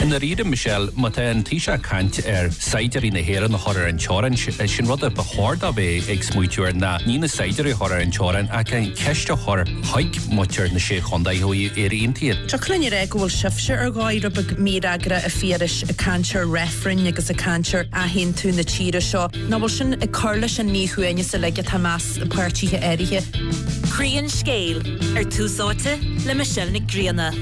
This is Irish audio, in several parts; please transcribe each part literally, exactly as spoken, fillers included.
I ndáiríre Michelle má tá an Taoiseach ag caint ar saighdiúirí na hÉireann a chur ar an teorainn sin rud a ba chóir dó bheith ag smaoitiú air ná ní na saighdiúirí a chur ar an teorainn ach an ceist a chur chuig muintir na sé chontae ó Éire Aontaithe. Tá cluine ré go bhfuil sibhse ar dhóigh rud beag mífhreagrach a Phiarais ag caint ar reifrinn agus ag caint ar athaontú na tíre seo. Nach bhfuil sin ag cur leis an míshuaimhneas uilig atá i measc páirtithe áirithe. Croí an scéil ar Tús Áite le Michelle Nic Grianna.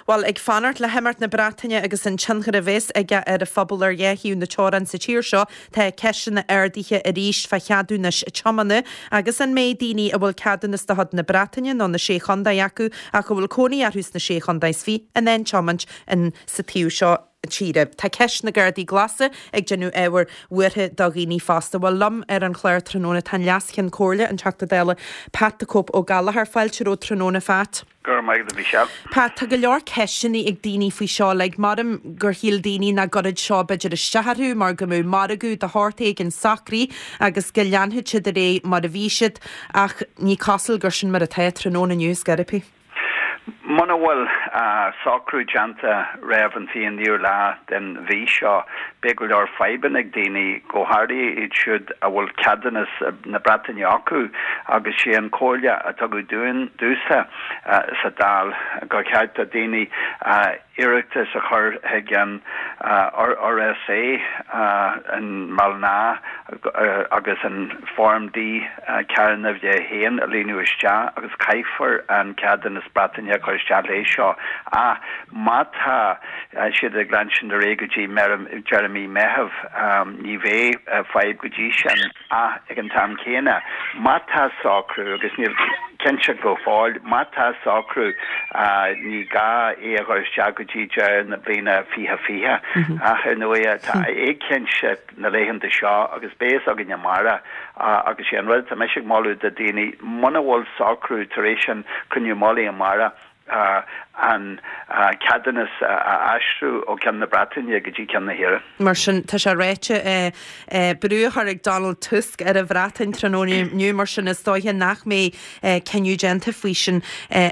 Well ag fanacht le himeacht na Breataine agus an tionchar a bheas aige ar a phobal ar dhá thaobh na teorann sa tír seo tá ceisteanna ardaithe arís fá cheadúnais tiomána agus an mbeidh daoine a bhfuil ceadúnas de chuid na Breataine nó na sé chontae acu ach a bhfuil cónaí orthu sna sé chontae is fiche in ann tiomáint in sa taobh seo tíre. Tá ceist na gcártaí glasa ag déanamh ábhar buartha do dhaoine fosta. Bhuel liom ar an chlár tráthnóna tá Leas-Cheann Comhairle an Teachta Dála Pat the Cope Ó Gallchóir fáilte romhat tráthnóna a Phat. Gur maith a Michelle. Pat tá go leor ceisteanna ag daoine faoi seo le maram gur shíl daoine nach gcuirfeadh seo b'fhéidir isteach orthu mar go mbeadh margadh de shórt éigin socraithe agus go leanfadh siad ar aghaidh mar a bhí siad ach ní cosúil gur sin mar atá tráthnóna inniu scarpí. Muna bhfuil socrú déanta roimh an fiche naoú lá den mhí seo beidh go leor fadhbanna ag daoine go háirithe iad siúd a bhfuil ceadúnas na Breataine acu agus sé an chomhairle a tugadh dúinn domhsa sa Dáil gur cheart do daoine iarratas a chur chuig an RSA i mBaile agus an Form D ceathair a haon a líonadh isteach agus caithfear an ceadúnas Breataine a chur isteach leis seo ach má tá siad ag leanstan ar aghaidh go dtí deireadh mí Meitheamh ní bheidh fadhb go dtí sin ach ag an t-am céanna má tá socrú agus níl cinnte go fóill má tá socrú ní gá é a chur isteach go dtí deireadh na bliana fiche fiche ach ar ndóigh tá éiginnteacht na laethanta seo agus beidh a fhios againn amárach agus sé an rud tá mise ag moladh do daoine muna bhfuil socrú tar éis an cruinniú mullaigh amárach an ceadúnas a aistriú ó ceann na Breataine go dtí ceann na hÉireann. Mar sin tá sé ráite brú á chur ag Donald Tusk ar an Bhreatain tráthnóna inniu mar sin is dóiche nach mbeidh cinneadh déanta faoi sin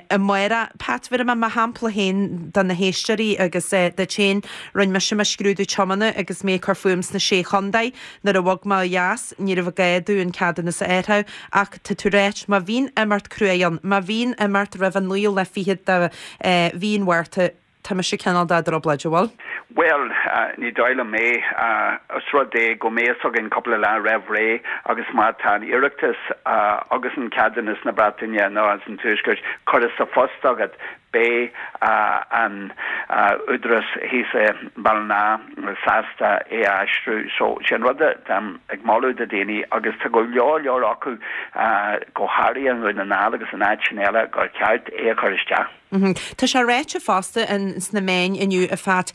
amárach. Pat bhí mé mar shampla féin do na héisteoirí agus duit féin rinne mise mo scrúdú tiomána agus mé ag cur fúm sna sé chontae nuair a bhog mé ó dheas ní raibh gá domh an ceadúnas a athrú ach tá tú ráit má bhíonn imeacht crua ann, má bhíonn imeacht roimh an naoú lá fichead de mhí an Mhárta tá mise cineál i dtrioblóid bhfuil? Well ní dóigh liom é os rud é go mbeidh a fhios againn cúpla lá roimh ré agus má tá an iarratas agus an ceadúnas na Breataine nó as an tuaisceart curtha sa phost agat beidh an údarás thíos i mBaile sásta é a aistriú so sin rud ag moladh do daoine agus tá go leor leor acu go háirithe i nDún na nGall agus in áiteanna eile gur ceart é a chur isteach. Tá sé ráite fosta sna meáin inniu a Phat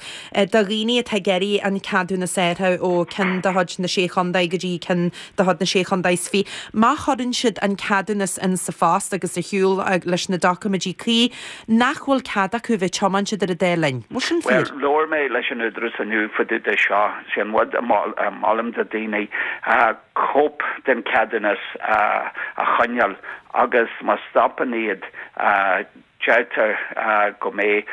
do dhaoine atá ag iarraidh an ceadúnas a athrú ó ceann de chuid na sé chontae go dtí ceann de chuid na sé chontae is fiche. Má chuireann siad an ceadúnas in sa phost agus ar shiúl leis na doiciméidí cuí, nach bhfuil cead acu bheith tiomáint idir an dá linn. Bhfuil sin fíor? Well labhair mé leis an údarás inniu fá dtaobh de seo sé an rud a molaim do daoine cóip den ceadúnas a choinneáil agus má stopann iad deirtear go mbeidh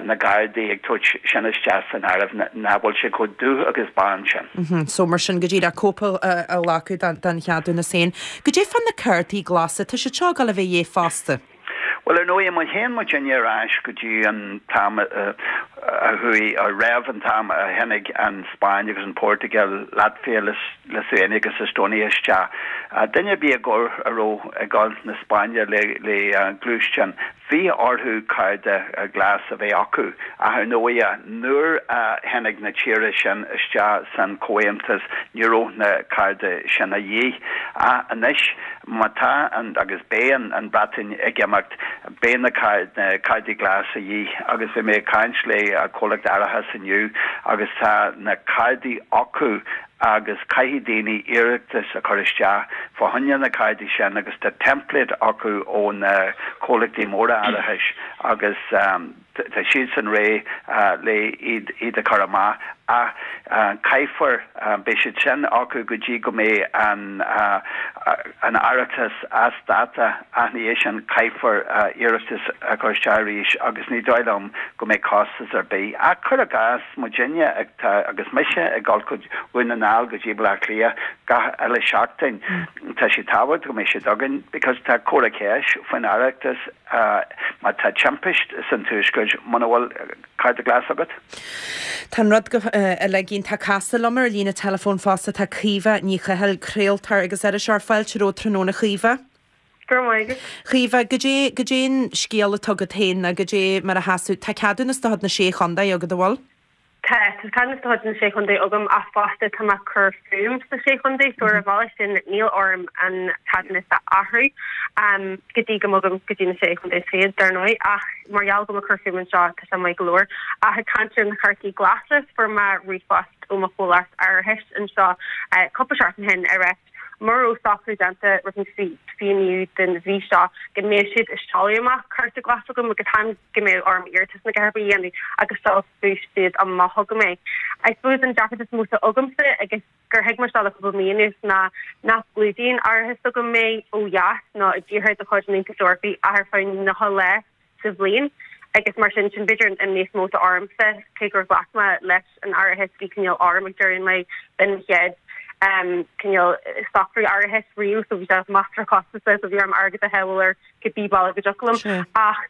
na Gardaí ag tabhairt sin isteach san áireamh nach bhfuil sé chomh dubh agus bán sin. So mar sin go díreach cóip a ghlacadh den cheadúnas féin. Goidé fá na cártaí glasa, tá siad seo ag dul a bheith de dhíth fosta. Well ar ndóigh má théann muid ar ais go dtí an t-am a chuaigh a raibh an t-am a tháinig an Spáinn agus an Portugal, Latvia, Lithuania agus Estonia isteach. Duine ar bith a a raibh ag dul na Spáinne le le gluaisteán, bhí orthu cárta glas a bheith acu ach ar ndóigh nuair a tháinig na tíortha sin isteach san Chomhaontas ní raibh na cártaí sin a dhíth. Ach anois má tá an agus beidh an an Bhreatain ag imeacht beidh na cártaí glas a dhíth agus bhí mé ag caint le comhlacht árachais inniu agus tá na cártaí acu agus caithfidh daoine iarratas a chur isteach fá choinne na cártaí sin agus tá template acu ó na comhlachtaí móra árachais agus um, Tá siadsan réidh le iad iad a chur amach ach caithfear beidh siad sin acu go dtí go mbeidh an an árachas as dáta ach ina dhiaidh sin caithfear iarratas a chur isteach arís agus ní dóigh liom go mbeidh costas ar bith. Ach cuir i gcás muidinne atá agus mise ag dul go Dhún na nGall go dtí Baile Átha Cliath gach uile seachtain tá sé tábhachtach go mbeidh siad againn because tá comhartha ceiste faoin árachas má tá timpist san tuaisceart muna bhfuil cárta glas agat. Tá an rud go uilig iontach casta liom ar líne telefón fosta tá Caoimhe Ní Chathail craoltóir agus iriseoir fáilte romhat tráthnóna Chaoimhe. Caoimhe, goidé goidé an scéal atá agat féin nó goidé mar a sheasann tá ceadúnas de chuid na sé chontae agat an bhfuil? Tá tá ceadúnas de chuid na sé chontae agam ach fosta tá mé ag cur fúm sna sé chontae so ar an bhealach sin níl orm an ceadúnas a athrú um, go dtí go mbogaim go dtí na sé chontae fichead dar ndóigh ach mar gheall go ag cur fúm anseo tá sé maith go leor ach ag caint ar na cártaí glasa fuair mé ríomhphost ó mo chomhlacht árachais anseo uh, cúpla seachtain ó shin ar mura raibh socrú déanta roimh an fiche naoú den mhí seo go mbeidh siad ag seoladh amach cárta glas chugam agus chan go mbeidh orm iarratas nó a dhath ar bith a dhéanamh agus seolfaidh siad amach chugam é. I suppose an deacracht is mó agamsa agus gur thuig mé seo le cúpla mí anuas ná nach gclúdaíonn árachas s'agam mé ó dheas ná i dtíortha de chuid an Aontais Eorpaigh ach ar feadh nócha lá sa bhliain. agus mar sin sin b'fhéidir an níos mó ormsa cé gur ghlac mé leis an árachas bhí cineál orm ag deireadh an lae b'in mo chéad um, cineál socrú árachais riamh so bhí sé measartha costasach so bhí orm airgead a shábháil ar cibé bealach go dtiocfadh liom ach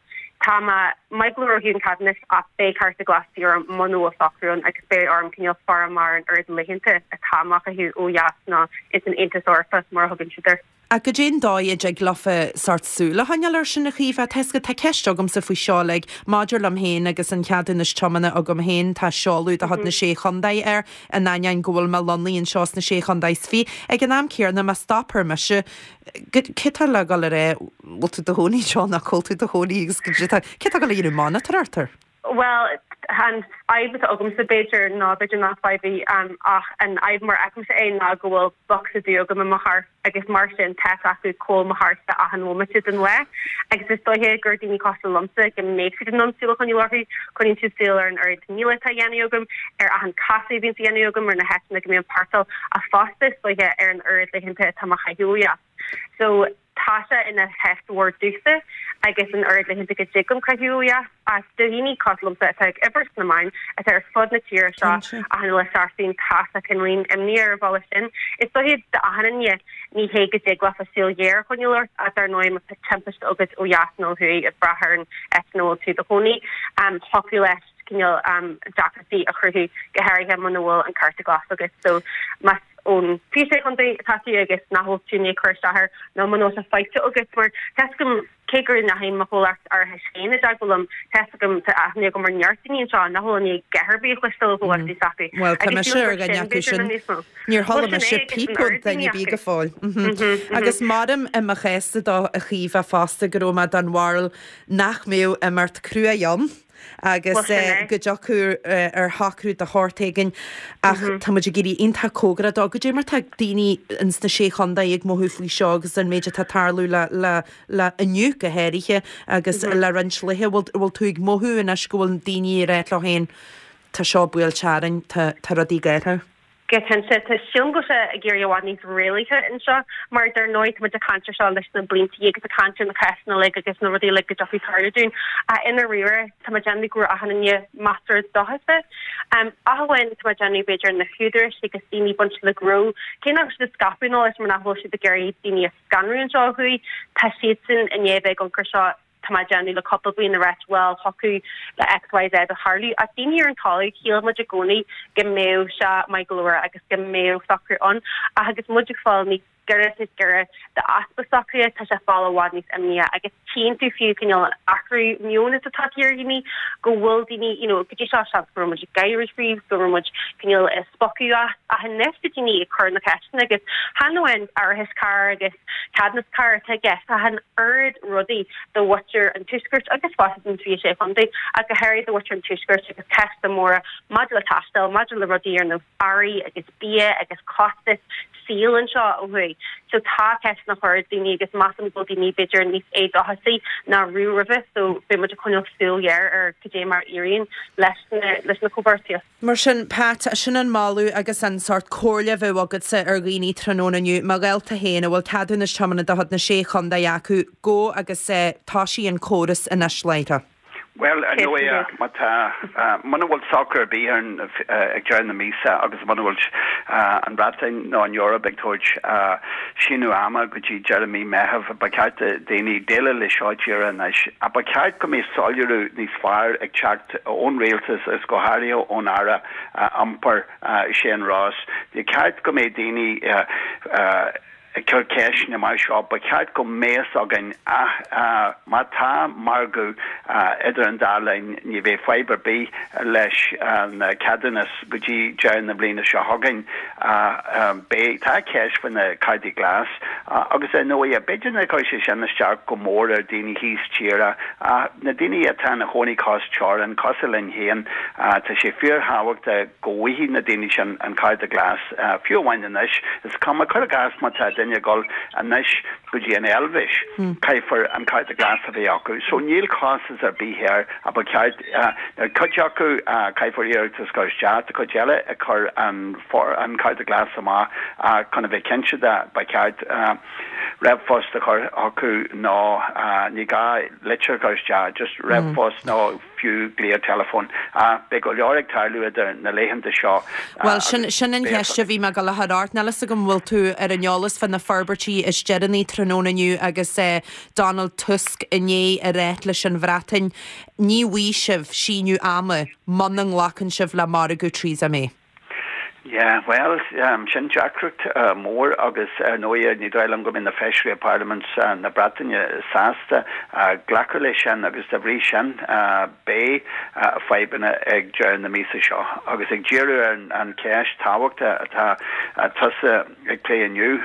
tá mé maith go leor ó thaobh an ceadúnais ach beidh cárta glas de dhíth orm muna bhfuil socrú ann agus beidh orm cineál faire amach ar an oiread laethanta atá mé a chaitheamh ó dheas ná ins an Aontas Eorpach mar a thugann siad air. Ach goidé an dóigh a dtig leofa sórt súil a choinneáil air sin a Chaoimhe tá tá ceist agamsa faoi seo like, maidir liom féin agus an ceadúnas tiomána agam féin tá seoladh de chuid na sé chontae air in ainneoin go bhfuil mé lonnaithe anseo sna sé chontae is fiche. Ag an am céanna má stoptar mise cé tá le dul ar é bhfuil tú i do chónaí seo nach bhfuil tú i do chónaí agus cé tá le dhéanamh monatóireacht air? Well an fhadhb atá agamsa b'fhéidir ná b'fhéidir nach fadhb í um, ach an fhadhb mar a fheicimse é ná go bhfuil bocsa dubh agam i mo charr agus mar sin tá acu cá bhfuil mo charrsa achan bhomaite den lá agus is dóiche gur daoine cosúil liomsa go mbeidh siad in ann súil a choinneáil orthu coinníonn siad súil ar an oiread míle atá á dhéanamh agam ar achan casadh a bhíonn á dhéanamh agam ar na háiteanna go mbím ag páirceáil ach fosta is dóiche ar an oiread laethanta atá mé a chaitheamh ó dheas. So tá sé ina cheist mhór domhsa agus an oiread laethanta go dtig liom caitheamh ó dheas as do dhaoine cosúil liomsa atá ag obair sna meáin atá ar fud na tíre seo achan uile seachtain tá sé cineáilín imní ar an bhealach sin. Is dóiche d'achan duine ní hé go dtig leofa súil ghéar a choinneáil ort ach dar ndóigh má tá timpiste agat ó dheas nó ó thuaidh ag brath ar an áit ina bhfuil tú i do chónaí um, thiocfadh leis cineál um, deacrachtaí a chruthú go háirithe muna bhfuil an cárta glas agat so más ón fiche sé chontae atá tú agus nach bhfuil tú ní chur isteach air nó muna bhfuil sé faighte agat mar tá a fhios agam cé gur ndeachaigh mo chomhlacht árachais féin i dteagmháil liom tá a fhios agam tá aithne agam ar neart daoine anseo nach bhfuil ní ar bith cloiste ó chomhlachtaí s'acu. Well tá mise ar dhuine acu sin. Níor chuala mise píp ó dhuine ar bith go fóill. Agus maram i mo chéasta do a Chaoimhe fosta go raibh mé den bharúil nach mbeadh imeacht crua ann. agus go dtiocfadh ar shocrú de shórt éigin ach tá muid ag éirí iontach cóngarach dó goidé mar tá daoine ins na sé chontae ag mothú faoi seo agus an méid atá ag tarlú le le le inniu go háirithe agus le roinnt laethe bhfuil tú ag mothú anois go bhfuil daoine ag rá leo féin tá seo buailte orainn tá tá rudaí géartha. Go cinnte tá sílim go bhfuil sé ag éirí i bhfad níos réalaíche anseo mar dar ndóigh tá muid ag caint air seo leis na blianta agus ag caint ar na cásanna uilig agus na rudaí uilig go dtiocfaidh tarlú dúinn ach i ndáiríre tá mé ag déanamh go raibh achan duine measartha dóchasach. Um, ach amháin tá mé ag déanamh b'fhéidir na húdaráis agus daoine bainte le gnó cé nach bhfuil siad ag scaipeadh an eolais mar nach bhfuil siad ag iarraidh daoine a scanrú anseo ó thuaidh tá siadsan i ndiaidh bheith ag amharc air seo tá mé ag déanamh le cúpla bliain ag ráit bhuel thiocfadh le XYZ a tharlú ach daoine ar an talamh shíl muid i gcónaí go mbeadh sé maith go leor agus go mbeadh socrú ann ach agus muid ag fáil níos giorra is giorra d'easpa socraithe tá sé fáil i bhfad níos imníche agus tchíonn tú fiú cineál an athrú meoin atá tagtha ar dhaoine go bhfuil daoine you know go dtí seo seans go raibh muid ag gáire faoi go raibh muid cineál ag spochadh as ach anois tá daoine ag cur na ceisteanna agus chan amháin árachas cairr agus ceadúnas cairr atá i gceist ach an oiread rudaí do mhuintir an Tuaiscirt agus fosta don fiche sé chontae ach go háirithe do mhuintir an Tuaiscirt agus ceisteanna móra maidir le taisteal, maidir le rudaí ar nós earraí agus bia agus costas saol anseo ó thuaidh. So tá ceisteanna á chur ag daoine agus measaim go bhfuil daoine b'fhéidir níos éadóchasaí ná riamh roimhe so beidh muid ag coinneáil súil ghéar ar cad é mar a éiríonn leis na leis na comhbheartaíocht. Mar sin, Pat, sin an moladh agus an sórt comhairle a bheadh agatsa ar dhaoine tráthnóna inniu, mo ghaolta féin a bhfuil ceadúnas tiomána de chuid na Sé Chontae acu, gabh agus tosaigh an córas anois láithreach. Bhuel, ar ndóigh, má tá, muna bhfuil socrú ar bith ann ag deireadh na míosa agus muna bhfuil an Bhreatain nó an Eoraip ag tabhairt síneadh ama go dtí deireadh mí Meitheamh, ba cheart do dhaoine déileáil le seo díreach anois. Ach ba cheart go mbeadh soiléiriú níos fearr ag teacht ón rialtas agus go háirithe ón Aire Iompair, Shane Ross. Ní ceart go mbeadh daoine ag cur ceisteanna mar seo, ba cheart go mbeadh fhios againn ach má tá margadh idir an dá linn, ní bheidh fadhb ar bith leis an ceadúnas go dtí deireadh na bliana seo chugainn. Beidh, tá ceist faoi na cártaí glas agus ar ndóigh, b'fhéidir nár chuir sé sin isteach go mór ar daoine thíos tíre ach na daoine atá ina chónaí cois teorann, cosúil linn féin, tá sé fíorthábhachtach go bhfaighidh na daoine sin an cárta glas, fiú amháin anois. Is cuma, cuir i gcás, má tá duine ag dul anois go dtí an Eilvéis, caithfear an cárta glas a bheith acu. So níl costas ar bith air ach ba cheart, ar cuid acu caithfear iarratas a chur isteach, tá cuid eile ag cur an an cárta glas amach ach chun a bheith cinnte de ba cheart ríomhphost a chur chucu nó ní gá litir a chur isteach, just ríomhphost nó fiú glao teileafóin. Beidh go leor ag tarlú idir na laethanta seo. Bhuel, sin sin an cheist a bhí mé ag dul a chur ort. Níl fhios agam an bhfuil tú ar an eolas fá na forbairtí is deireanaí tráthnóna inniu agus Donald Tusk i ndiaidh a ráit leis an Bhreatain, ní bhfaighidh sibh síneadh ama muna nglacann sibh le margadh Theresa May. Yeah, bhuel, sin deacracht mór agus ar ndóigh ní dóigh liom go mbeidh na feisirí i bParlaimint na Breataine sásta glacadh leis sin agus dá bhrí sin beidh fadhbanna ag deireadh na míosa seo. Agus ag díriú ar an cheist tábhachtach atá tusa ag plé inniu,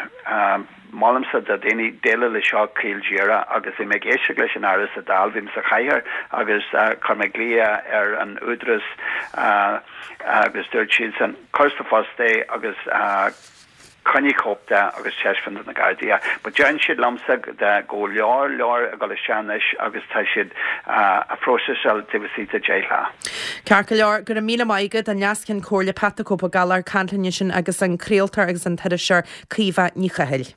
Molaimse do dhaoine déileáil leis seo caol díreach agus bhí mé ag éisteacht leis an Aire sa Dáil, bhí mé sa chathaoir agus chuir mé glao ar an Údarás agus dúirt siadsan cuir sa phost é agus coinnigh cóip de agus taispeáin do na Gardaí. But deireann siad liomsa go leor leor ag dul isteach anois agus tá siad á phróiseáil taobh istigh de deich lá. Ceart go leor, go raibh míle maith agat, an Leas-Cheann Comhairle Pat the Cope Ó Gallchóir ag caint linn ansin agus an craoltóir agus an t-iriseoir Caoimhe Ní Chathail.